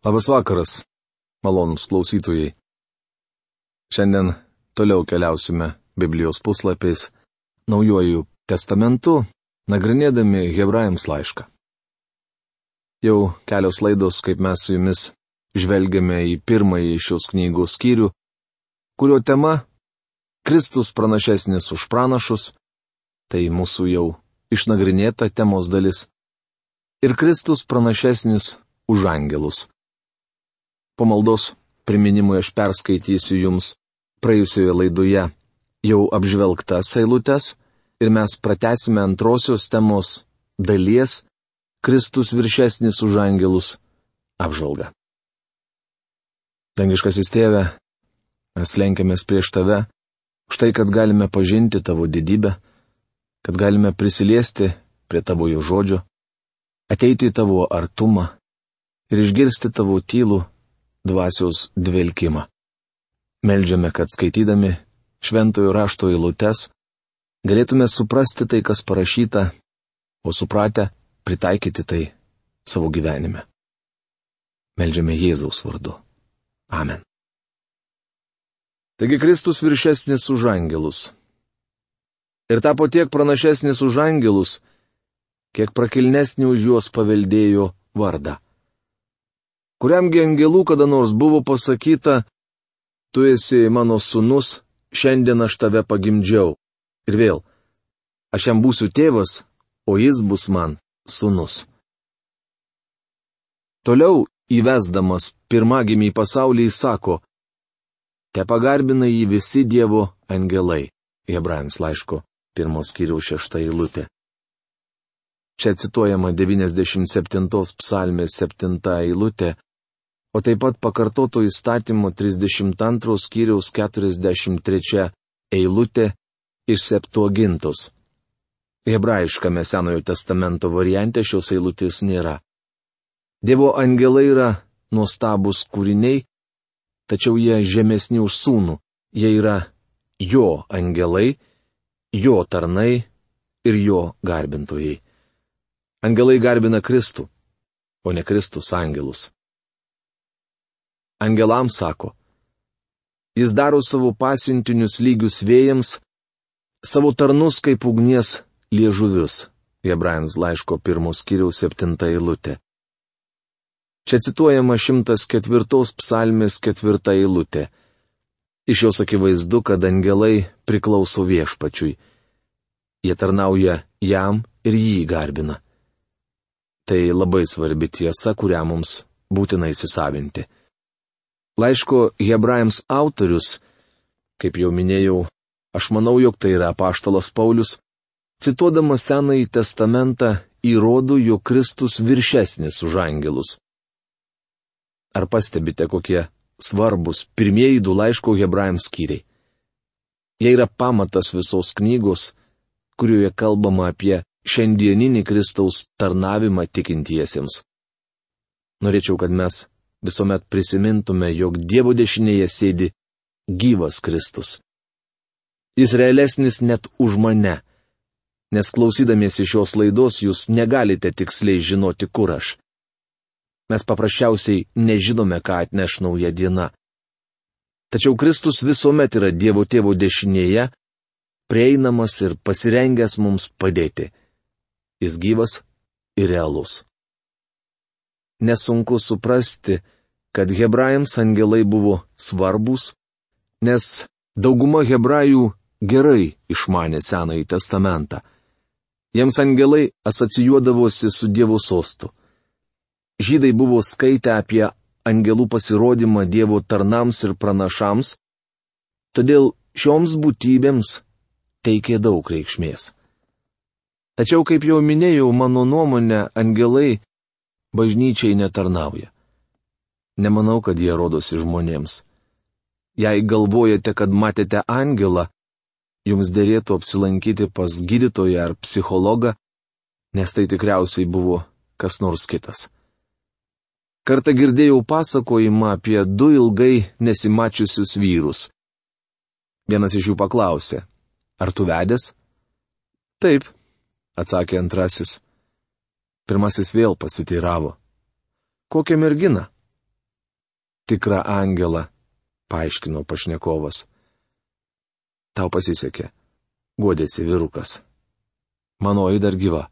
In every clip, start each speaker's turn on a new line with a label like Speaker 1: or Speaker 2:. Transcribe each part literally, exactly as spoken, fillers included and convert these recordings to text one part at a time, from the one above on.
Speaker 1: Labas vakaras, malonūs klausytojai. Šiandien toliau keliausime Biblijos puslapiais Naujuoju testamentu, nagrinėdami Hebrajams laišką. Jau kelios laidos, kaip mes su jumis žvelgiame į pirmąjį šios knygos skyrių, kurio tema - Kristus pranašesnis už pranašus, tai mūsų jau išnagrinėta temos dalis, ir Kristus pranašesnis už angelus. Po maldos priminimui aš perskaitysiu jums praėjusioje laidoje jau apžvelgtas eilutes ir mes pratęsime antrosios temos dalies Kristus viršesnis už angelus apžvalgą. Dangiškasis Tėve, mes lenkiamės prieš Tave, už tai, kad galime pažinti Tavo didybę, kad galime prisiliesti prie Tavojo žodžio, ateiti į Tavo artumą ir išgirsti Tavo tylų dvasios dvelkimą. Meldžiame, kad skaitydami šventojo rašto eilutes galėtume suprasti tai, kas parašyta, o supratę pritaikyti tai savo gyvenime. Meldžiame Jėzaus vardu. Amen. Taigi Kristus viršesnis už angelus. Ir tapo tiek pranašesnis už angelus, kiek prakilnesnį už juos paveldėjo vardą. Kuriamgi angelų kada nors buvo pasakyta, tu esi mano sūnus, šiandien aš tave pagimdžiau. Ir vėl, aš jam būsiu tėvas, o jis bus man sūnus. Toliau įvesdamas pirmagimį į pasaulį jis sako, te pagarbina jį visi Dievo angelai. Hebrajams laiško pirmos skyriaus šešta eilutė. Čia cituojama devyniasdešimt septintos psalmės septinta eilutė, o taip pat pakartoto įstatymo trisdešimt antros skyriaus keturiasdešimt trečia eilutė iš Septuagintos. Hebrajiškame Senojo testamento variante šios eilutės nėra. Dievo angelai yra nuostabūs kūriniai, tačiau jie žemesni už sūnų. Jie yra jo angelai, jo tarnai ir jo garbintojai. Angelai garbina Kristų, o ne Kristus angelus. Angelams sako, jis daro savo pasiuntinius lygius vėjams, savo tarnus kaip ugnies liežuvius. Hebrajams laiško pirmos skyriaus septinta eilutė. Čia cituojama šimtas ketvirtos psalmės ketvirta eilutė. Iš jos akivaizdu, kad angelai priklauso viešpačiui. Jie tarnauja jam ir jį garbina. Tai labai svarbi tiesa, kurią mums būtina įsisavinti. Laiško Hebrajams autorius, kaip jau minėjau, aš manau, jog tai yra apaštalas Paulius, cituodamas Senąjį testamentą įrodo, jog Kristus viršesnis už angelus. Ar pastebite, kokie svarbus pirmieji du laiško Hebrajams skyriai? Jie yra pamatas visos knygos, kurioje kalbama apie šiandieninį Kristaus tarnavimą tikintiesiems. Norėčiau, kad mes visuomet prisimintume, jog Dievo dešinėje sėdi gyvas Kristus. Jis realesnis net už mane, nes klausydamiesi šios laidos jūs negalite tiksliai žinoti, kur aš. Mes paprasčiausiai nežinome, ką atneš nauja diena. Tačiau Kristus visuomet yra Dievo Tėvo dešinėje, prieinamas ir pasirengęs mums padėti. Jis gyvas ir realus. Nesunku suprasti, kad Hebrajams angelai buvo svarbus, nes dauguma hebrajų gerai išmanė Senąjį testamentą. Jiems angelai asocijuodavosi su Dievo sostu. Žydai buvo skaitę apie angelų pasirodymą Dievo tarnams ir pranašams, todėl šioms būtybėms teikė daug reikšmės. Tačiau, kaip jau minėjau, mano nuomonė, angelai bažnyčiai netarnauja. Nemanau, kad jie rodosi žmonėms. Jei galvojate, kad matėte angelą, jums dėrėtų apsilankyti pas gydytoją ar psichologą, nes tai tikriausiai buvo kas nors kitas. Kartą girdėjau pasakojimą apie du ilgai nesimačiusius vyrus. Vienas iš jų paklausė, ar tu vedęs? Taip, atsakė antrasis. Pirmasis vėl pasiteiravo. Kokią merginą? tikrą angelą, paaiškino pašnekovas. Tau pasisekė, guodėsi vyrukas. Manoji dar gyva.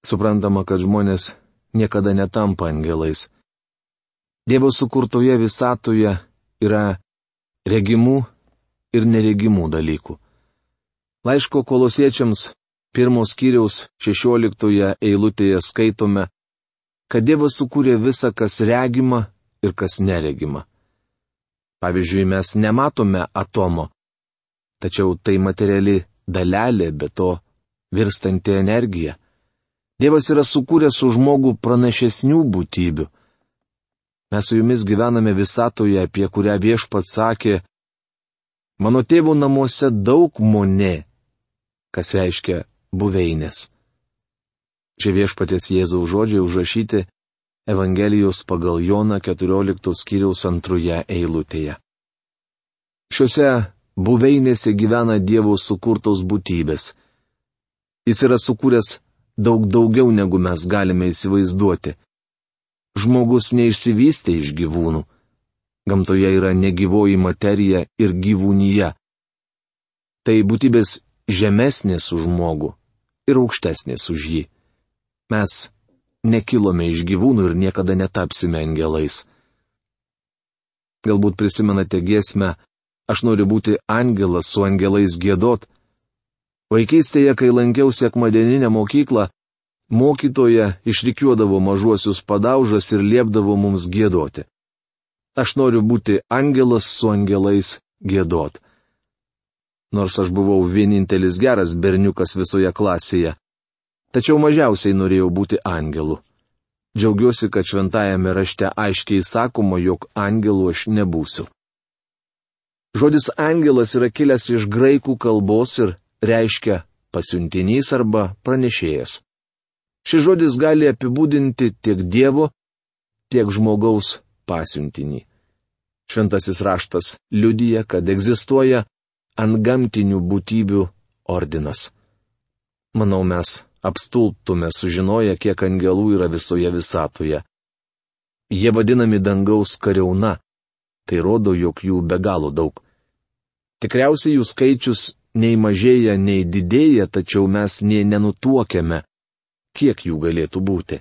Speaker 1: Suprantama, kad žmonės niekada netampa angelais. Dievo sukurtoje visatoje yra regimų ir neregimų dalykų. Laiško Kolosiečiams pirmos skyriaus šešioliktoje eilutėje skaitome, kad Dievas sukūrė visą, kas regima ir kas neregima. Pavyzdžiui, mes nematome atomo, tačiau tai materiali dalelė, be to virstanti energija. Dievas yra sukūręs su žmogu pranašesnių būtybių. Mes su jumis gyvename visatoje, apie kurią Viešpats sakė, mano tėvo namuose daug monė, kas reiškia buveinės. Šie Viešpaties Jėzaus žodžiai užrašyti Evangelijos pagal Joną keturioliktos skyriaus antroje eilutėje. Šiuose buveinėse gyvena Dievo sukurtos būtybės. Jis yra sukūręs daug daugiau, negu mes galime įsivaizduoti. Žmogus neišsivystė iš gyvūnų. Gamtoje yra negyvoji materija ir gyvūnyje. Tai būtybės žemesnės už žmogų ir aukštesnės už jį. Mes nekilome iš gyvūnų ir niekada netapsime angelais. Galbūt prisimenate giesmę Aš noriu būti angelas su angelais giedot. Vaikystėje, kai lankiau sekmadieninę mokyklą, mokytoja išrikiuodavo mažuosius padaužas ir liepdavo mums giedoti. Aš noriu būti angelas su angelais giedot. Nors aš buvau vienintelis geras berniukas visoje klasėje, tačiau mažiausiai norėjau būti angelu. Džiaugiuosi, kad šventajame rašte aiškiai sakoma, jog angelu aš nebūsiu. Žodis angelas yra kilęs iš graikų kalbos ir reiškia pasiuntinys arba pranešėjas. Šis žodis gali apibūdinti tiek Dievo, tiek žmogaus pasiuntinį. Šventasis raštas liudija, kad egzistuoja antgamtinių būtybių ordinas. Manau, mes apstulbtume sužinoję, kiek angelų yra visoje visatoje. Jie vadinami dangaus kariauna. Tai rodo, jog jų be galo daug. Tikriausiai jų skaičius nei mažėja, nei didėja, tačiau mes nei nenutuokiame, kiek jų galėtų būti.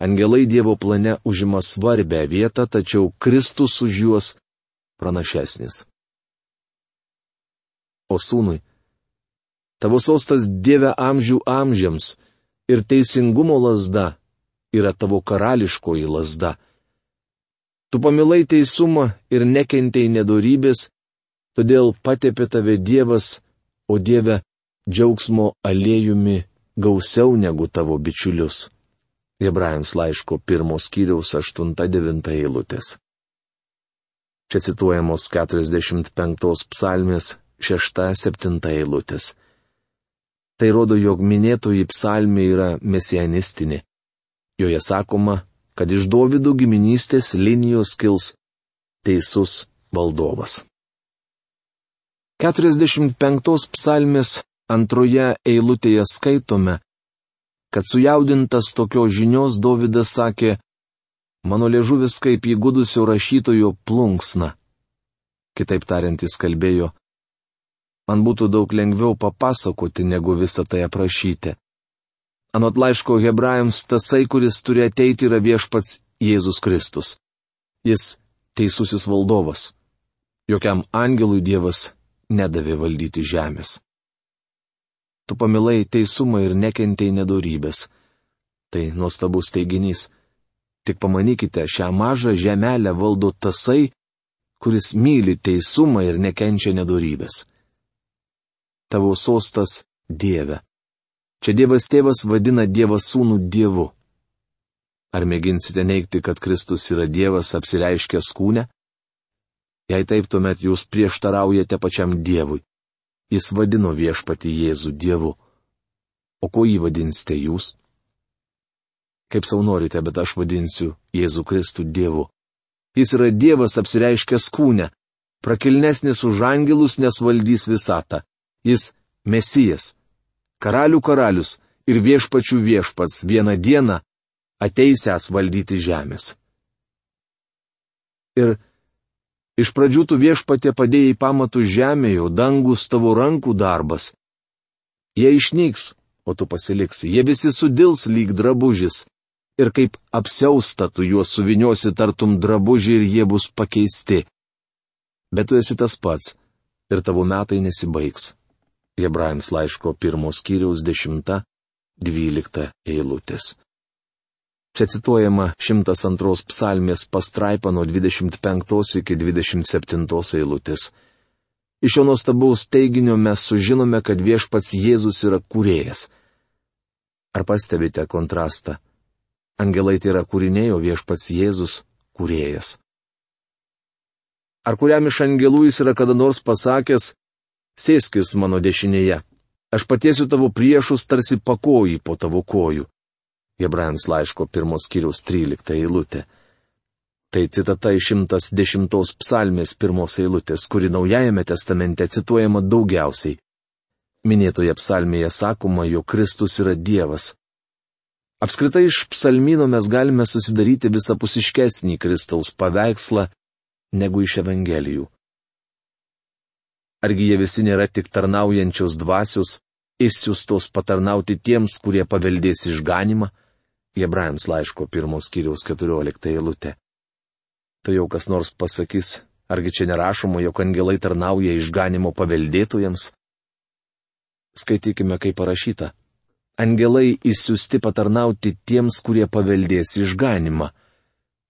Speaker 1: Angelai Dievo plane užima svarbę vietą, tačiau Kristus už juos pranašesnis. O sūnui, tavo sostas Dieve amžių amžiams ir teisingumo lazda yra tavo karališkoji lazda. Tu pamilai teisumą ir nekentei nedorybės, todėl patepė tave Dievas, o Dieve, džiaugsmo aliejumi gausiau negu tavo bičiulius. Hebrajams laiško pirmos skyriaus aštunta devinta eilutės. Čia cituojamos keturiasdešimt penktos psalmės šešta septinta eilutės. Tai rodo, jog minėtoji psalmė yra mesianistinė. Joje sakoma, kad iš Dovydo giminystės linijos kils teisus valdovas. keturiasdešimt penktos psalmės antroje eilutėje skaitome, kad sujaudintas tokios žinios Dovydas sakė, mano liežuvis kaip įgudusio rašytojo plunksna. Kitaip tariant, jis kalbėjo, man būtų daug lengviau papasakoti, negu visą tai aprašyti. Anot laiško Hebrajams, tasai, kuris turi ateiti, yra Viešpats Jėzus Kristus. Jis teisusis valdovas. Jokiam angelui Dievas nedavė valdyti žemės. Tu pamilai teisumą ir nekentei nedorybės. Tai nuostabus teiginys. Tik pamanykite, šią mažą žemelę valdo tasai, kuris myli teisumą ir nekenčia nedorybės. Tavo sostas Dieve. Čia Dievas tėvas vadina Dievą sūnų Dievu. Ar mėginsite neigti, kad Kristus yra Dievas apsireiškęs kūne? Jei taip, tuomet jūs prieštaraujate pačiam Dievui. Jis vadino Viešpatį Jėzų Dievu. O ko jį vadinsite jūs? Kaip sau norite, bet aš vadinsiu Jėzų Kristų Dievu. Jis yra Dievas apsireiškęs kūne, prakilnesnis už angelus, nes valdys visatą. Jis Mesijas. Karalių karalius ir viešpačių viešpats vieną dieną ateisęs valdyti žemės. Ir iš pradžių tu viešpatie padėjai pamatų žemėje, o dangus tavo rankų darbas. Jie išnyks, o tu pasiliksi, jie visi sudils lyg drabužis. Ir kaip apsiausta tu juos suviniosi tartum drabužį ir jie bus pakeisti. Bet tu esi tas pats, ir tavo metai nesibaigs. Hebrajams laiško pirmos skyriaus dešimta, dvylikta eilutės. Čia cituojama šimtas antros psalmės pastraipa nuo dvidešimt penktos iki dvidešimt septintos eilutės. Iš šio nuostabaus teiginio mes sužinome, kad viešpats Jėzus yra kūrėjas. Ar pastebite kontrastą? Angelai tai yra kūriniai, o viešpats Jėzus kūrėjas. Ar kuriam iš angelų jis yra kada nors pasakęs, sėskis mano dešinėje, aš patiesiu tavo priešus tarsi pakojį po tavo kojų. Hebrajams laiško pirmos skyriaus trylikta eilutė. Tai citata iš šimtas dešimtos psalmės pirmos eilutės, kuri Naujajame testamente cituojama daugiausiai. Minėtoje psalmėje sakoma, jog Kristus yra Dievas. Apskritai iš psalmyno mes galime susidaryti visapusiškesnį Kristaus paveikslą negu iš Evangelijų. Argi jie visi nėra tik tarnaujančios dvasios, išsiųstos patarnauti tiems, kurie paveldės išganimą? Hebrajams laiško pirmos skyriaus keturiolikta eilutė. Tai jau kas nors pasakys, argi čia nerašoma, jog angelai tarnauja išganimo paveldėtojams? Skaitykime, kaip parašyta. Angelai išsiųsti patarnauti tiems, kurie paveldės išganimą.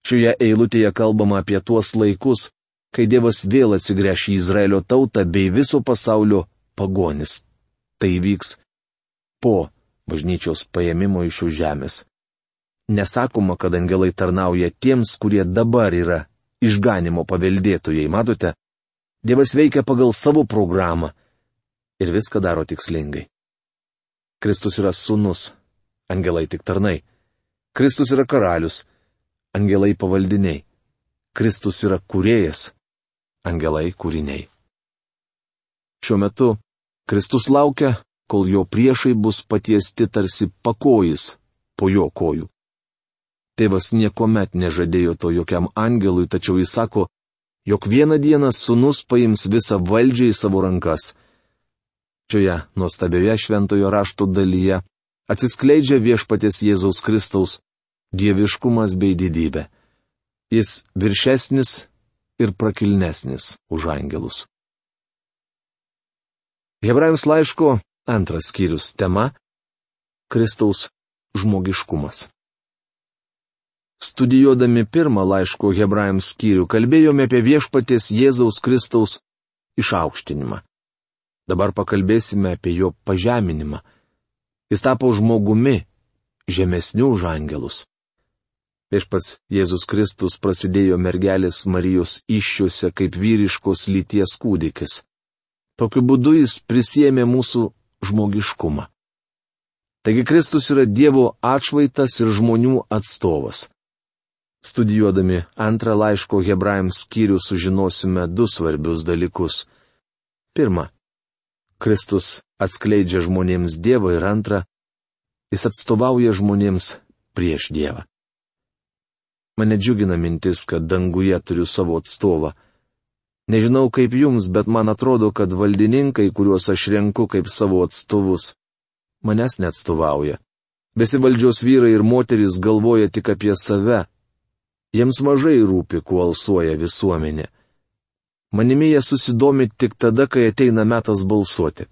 Speaker 1: Šioje eilutėje kalbama apie tuos laikus, kai Dievas vėl atsigręš į Izraelio tautą bei viso pasaulio pagonis. Tai vyks po bažnyčios paėmimo iš šios žemės. Nesakoma, kad angelai tarnauja tiems, kurie dabar yra išganimo paveldėtojai. Matote, Dievas veikia pagal savo programą ir viską daro tikslingai. Kristus yra sūnus, angelai tik tarnai. Kristus yra karalius, angelai pavaldiniai. Kristus yra kūrėjas, angelai kūriniai. Šiuo metu Kristus laukia, kol jo priešai bus patiesti tarsi pakojis po jo kojų. Tėvas niekuomet nežadėjo to jokiam angelui, tačiau jis sako, jog vieną dieną sūnus paims visą valdžią į savo rankas. Šioje nuostabioje šventojo rašto dalyje atsiskleidžia viešpaties Jėzaus Kristaus dieviškumas bei didybė. Jis viršesnis ir prakilnesnis už angelus. Hebrajams laiško antras skyrius tema - Kristaus žmogiškumas. Studijuodami pirmą laiško Hebrajams skyrių kalbėjome apie viešpaties Jėzaus Kristaus išaukštinimą. Dabar pakalbėsime apie jo pažeminimą. Jis tapo žmogumi, žemesniu už angelus. Viešpats Jėzus Kristus prasidėjo mergelės Marijos įsčiose kaip vyriškos lyties kūdikis. Tokiu būdu jis prisiėmė mūsų žmogiškumą. Taigi Kristus yra Dievo atšvaitas ir žmonių atstovas. Studijuodami antrą laiško Hebrajams skyrių sužinosime du svarbius dalykus. Pirma, Kristus atskleidžia žmonėms Dievą ir antra, jis atstovauja žmonėms prieš Dievą. Mane džiugina mintis, kad danguje turiu savo atstovą. Nežinau kaip jums, bet man atrodo, kad valdininkai, kuriuos aš renku kaip savo atstovus, manęs neatstovauja. Besivaldžios vyrai ir moterys galvoja tik apie save. Jiems mažai rūpi, kuo alsuoja visuomenė. Manimi jie susidomi tik tada, kai ateina metas balsuoti.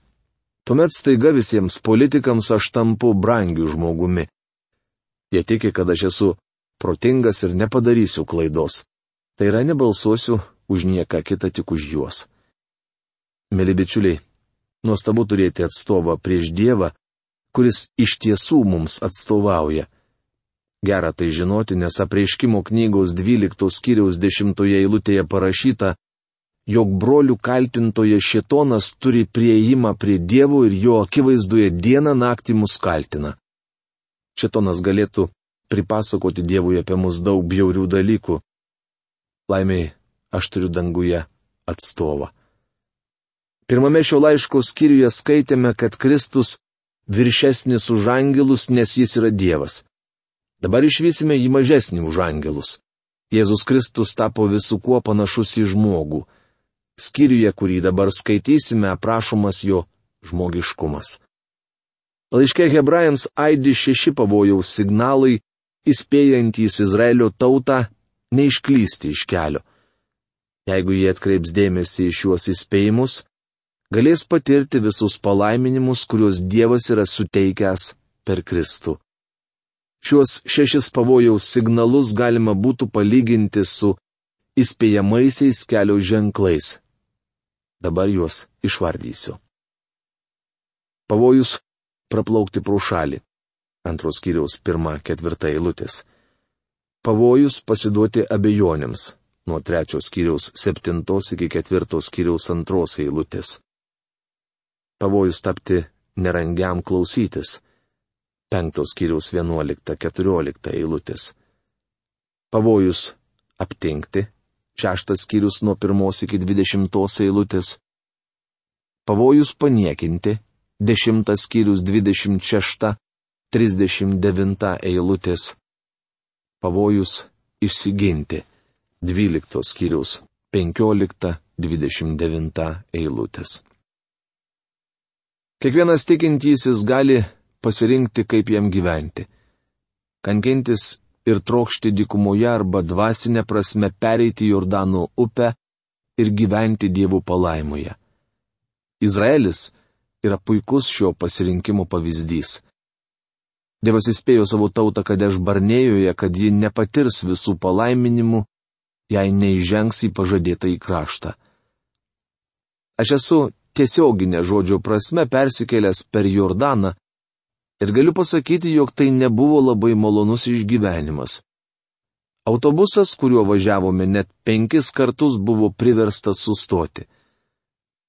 Speaker 1: Tuomet staiga visiems politikams aš tampu brangiu žmogumi. Jie tiki, kad aš esu protingas ir nepadarysiu klaidos. Tai yra, nebalsuosiu už nieką kitą, tik už juos. Mėly bičiuliai, nuostabu turėti atstovą prieš Dievą, kuris iš tiesų mums atstovauja. Gera tai žinoti, nes Apreiškimo knygos dvyliktos skyriaus dešimtoje eilutėje parašyta, jog brolių kaltintoje šėtonas turi prieėjimą prie Dievo ir jo akivaizdoje dieną naktį mus kaltina. Šėtonas galėtų pripasakoti Dievui apie mus daug bjaurių dalykų. Laimiai, aš turiu danguje atstovą. Pirmame šio laiško skyriuje skaitėme, kad Kristus viršesnis už angelus, nes jis yra Dievas. Dabar išvysime jį mažesnį už angelus. Jėzus Kristus tapo visų kuo panašus į žmogų. Skyriuje, kurį dabar skaitysime, aprašomas jo žmogiškumas. Laiške Hebrajams aidi šeši pavojaus signalai, įspėjantys Izraelio tautą neišklysti iš kelio. Jeigu jie atkreips dėmesį į šiuos įspėjimus, galės patirti visus palaiminimus, kuriuos Dievas yra suteikęs per Kristų. Šiuos šešis pavojaus signalus galima būtų palyginti su įspėjamaisiais kelio ženklais. Dabar juos išvardysiu. Pavojus praplaukti pro šalį. Antros skyriaus pirma, ketvirta eilutės. Pavojus pasiduoti abejonėms. Nuo trečios skyriaus septintos iki ketvirtos skyriaus antros eilutės. Pavojus tapti nerangiam klausytis. Penktos skyriaus vienuolikta, keturiolikta eilutės. Pavojus aptingti. Šeštas skyrius nuo pirmos iki dvidešimtos eilutės. Pavojus paniekinti. Dešimtas skyrius dvidešimt šešta, trisdešimt devinta eilutės. Pavojus išsiginti. Dvyliktos skyrius penkiolikta, dvidešimt devinta eilutės. Kiekvienas tikintysis gali pasirinkti, kaip jam gyventi. Kankintis ir trokšti dykumoje arba dvasinė prasme pereiti Jordano upę ir gyventi Dievo palaimoje. Izraelis yra puikus šio pasirinkimo pavyzdys. Dievas įspėjo savo tautą Kadeš Barnėjoje, kad ji nepatirs visų palaiminimų, jei neįžengs į pažadėtą į kraštą. Aš esu tiesioginė žodžio prasme persikėlęs per Jordaną ir galiu pasakyti, jog tai nebuvo labai malonus išgyvenimas. Autobusas, kuriuo važiavome, net penkis kartus buvo priverstas sustoti.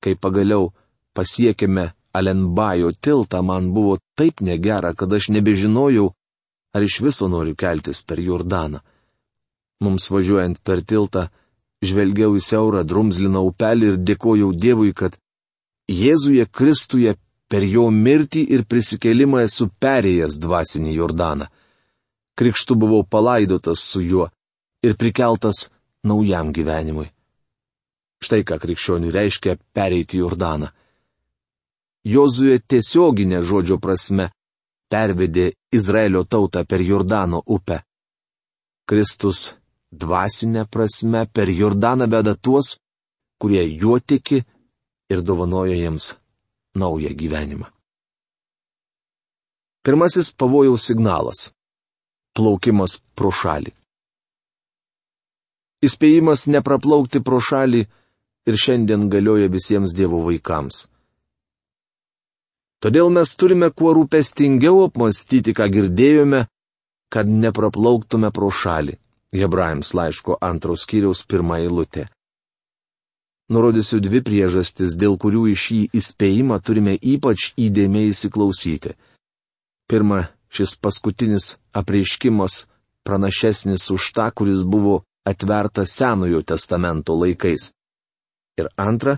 Speaker 1: Kai pagaliau pasiekėme Alenbajo tiltą, man buvo taip negera, kad aš nebežinojau, ar iš viso noriu keltis per Jordaną. Mums važiuojant per tiltą, žvelgiau į siaurą drumzliną upelį ir dėkojau Dievui, kad Jėzuje Kristuje per jo mirtį ir prisikėlimą esu perėjęs dvasinį Jordaną. Krikštu buvau palaidotas su juo ir prikeltas naujam gyvenimui. Štai ką krikščioniui reiškia pereiti Jordaną. Jozuė tiesioginė žodžio prasme pervedė Izraelio tautą per Jordano upę. Kristus dvasinė prasme per Jordaną veda tuos, kurie juo tiki ir dovanoja jiems naują gyvenimą. Pirmasis pavojaus signalas - plaukimas pro šalį. Įspėjimas nepraplaukti pro šalį ir šiandien galioja visiems Dievo vaikams. Todėl mes turime kuo rūpestingiau apmąstyti, ką girdėjome, kad nepraplauktume pro šalį. Hebrajams laiško antros skyriaus pirma eilutė. Nurodysiu dvi priežastis, dėl kurių į šį įspėjimą turime ypač įdėmiai įsiklausyti. Pirma, šis paskutinis apreiškimas pranašesnis už tą, kuris buvo atvertas Senojo testamento laikais. Ir antra,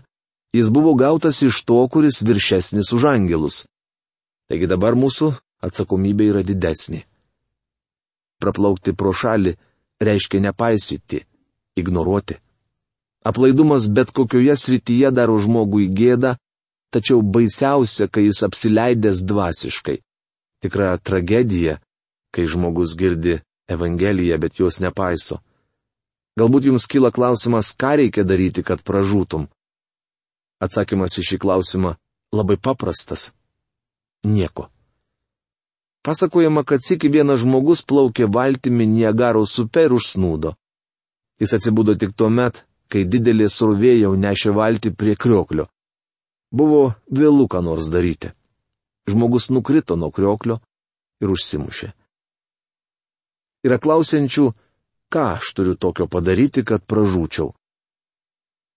Speaker 1: jis buvo gautas iš to, kuris viršesnis už angelus. Taigi dabar mūsų atsakomybė yra didesnė. Praplaukti pro šalį reiškia nepaisyti, ignoruoti. Aplaidumas bet kokioje srityje daro žmogui gėdą, tačiau baisiausia, kai jis apsileidęs dvasiškai. Tikra tragedija, kai žmogus girdi Evangeliją, bet jos nepaiso. Galbūt jums kyla klausimas, ką reikia daryti, kad pražūtum. Atsakymas į šį klausimą labai paprastas. Nieko. Pasakojama, kad sykį vienas žmogus plaukė valtimi Niagaros upe ir užsnūdo. Jis atsibudo tik tuo met, kai didelė srovė jau nešė valtį prie krioklio. Buvo vėlu ką nors daryti. Žmogus nukrito nuo krioklio ir užsimušė. Yra klausiančių, ką aš turiu tokio padaryti, kad pražūčiau.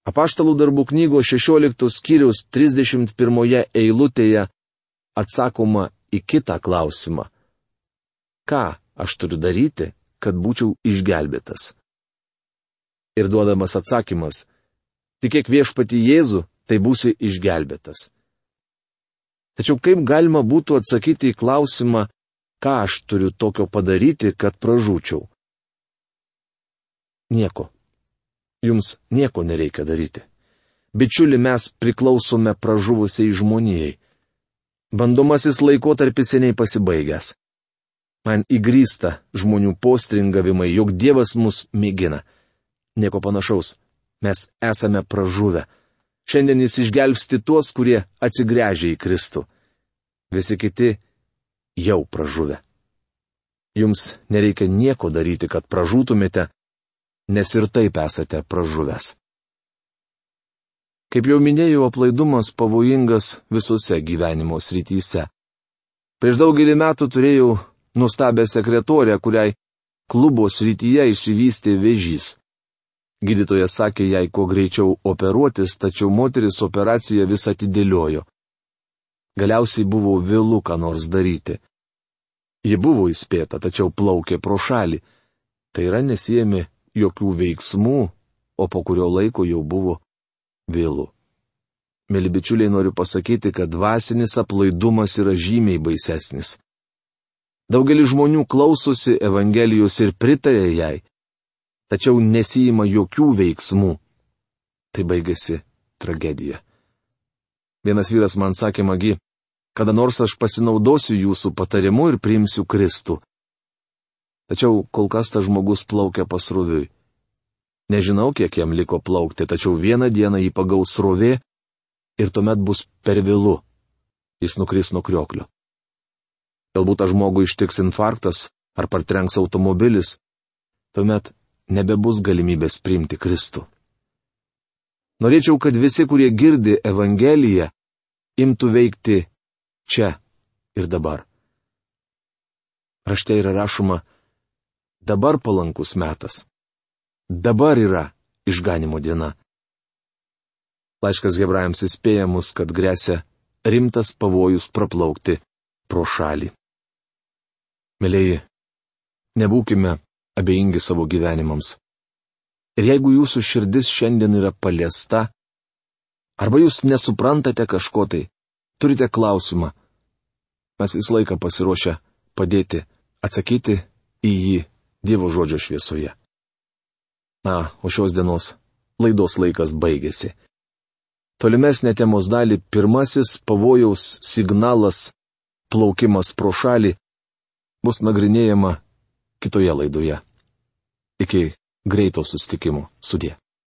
Speaker 1: Apaštalų darbų knygos šešioliktos skyriaus trisdešimt pirmoje eilutėje atsakoma į kitą klausimą. Ką aš turiu daryti, kad būčiau išgelbėtas? Ir duodamas atsakymas, tikėk viešpatį Jėzų, tai būsi išgelbėtas. Tačiau kaip galima būtų atsakyti į klausimą, ką aš turiu tokio padaryti, kad pražūčiau? Nieko. Jums nieko nereikia daryti. Bičiuli, mes priklausome pražuvusiai žmonijai. Bandomasis laikotarpis seniai pasibaigęs. Man įgrysta žmonių postringavimai, jog Dievas mus mėgina. Nieko panašaus. Mes esame pražuvę. Šiandien jis išgelbsti tuos, kurie atsigręžia į Kristų. Visi kiti jau pražuvę. Jums nereikia nieko daryti, kad pražūtumėte, nes ir taip esate pražuvęs. Kaip jau minėjau, aplaidumas pavojingas visose gyvenimo srityse. Prieš daugelį metų turėjau nuostabią sekretorę, kuriai klubo srityje išsivystė vėžys. Gydytojas sakė jai kuo greičiau operuotis, tačiau moteris operaciją vis atidėliojo. Galiausiai buvo vėlu ką nors daryti. Ji buvo įspėta, tačiau plaukė pro šalį. Tai yra nesiėmė jokių veiksmų, o po kurio laiko jau buvo vėlu. Mėly bičiuliai, noriu pasakyti, kad dvasinis aplaidumas yra žymiai baisesnis. Daugelis žmonių klausosi Evangelijos ir pritarė jai, tačiau nesijima jokių veiksmų. Tai baigėsi tragedija. Vienas vyras man sakė, Magi, kada nors aš pasinaudosiu jūsų patarimu ir priimsiu Kristų. Tačiau kol kas tas žmogus plaukia pasroviui. Nežinau, kiek jam liko plaukti, tačiau vieną dieną jį pagaus srovė ir tuomet bus per vėlu. Jis nukris nuo krioklio. Galbūt tą žmogų ištiks infarktas ar partrenks automobilis. Tuomet nebebus galimybės priimti Kristų. Norėčiau, kad visi, kurie girdi Evangeliją, imtų veikti čia ir dabar. Rašte yra rašoma, dabar palankus metas. Dabar yra išganimo diena. Laiškas Hebrajams įspėja mus, kad gresia rimtas pavojus praplaukti pro šalį. Mėlyji, nebūkime abejingi savo gyvenimams. Ir jeigu jūsų širdis šiandien yra paliesta, arba jūs nesuprantate kažko tai, turite klausimą, mes visą laiką pasiruošę padėti, atsakyti į jį Dievo žodžio šviesoje. Na, o šios dienos laidos laikas baigėsi. Tolimesnė temos dalį, pirmasis pavojaus signalas, plaukimas pro šalį, bus nagrinėjama kitoje laidoje. Iki greito susitikimo. Sudie.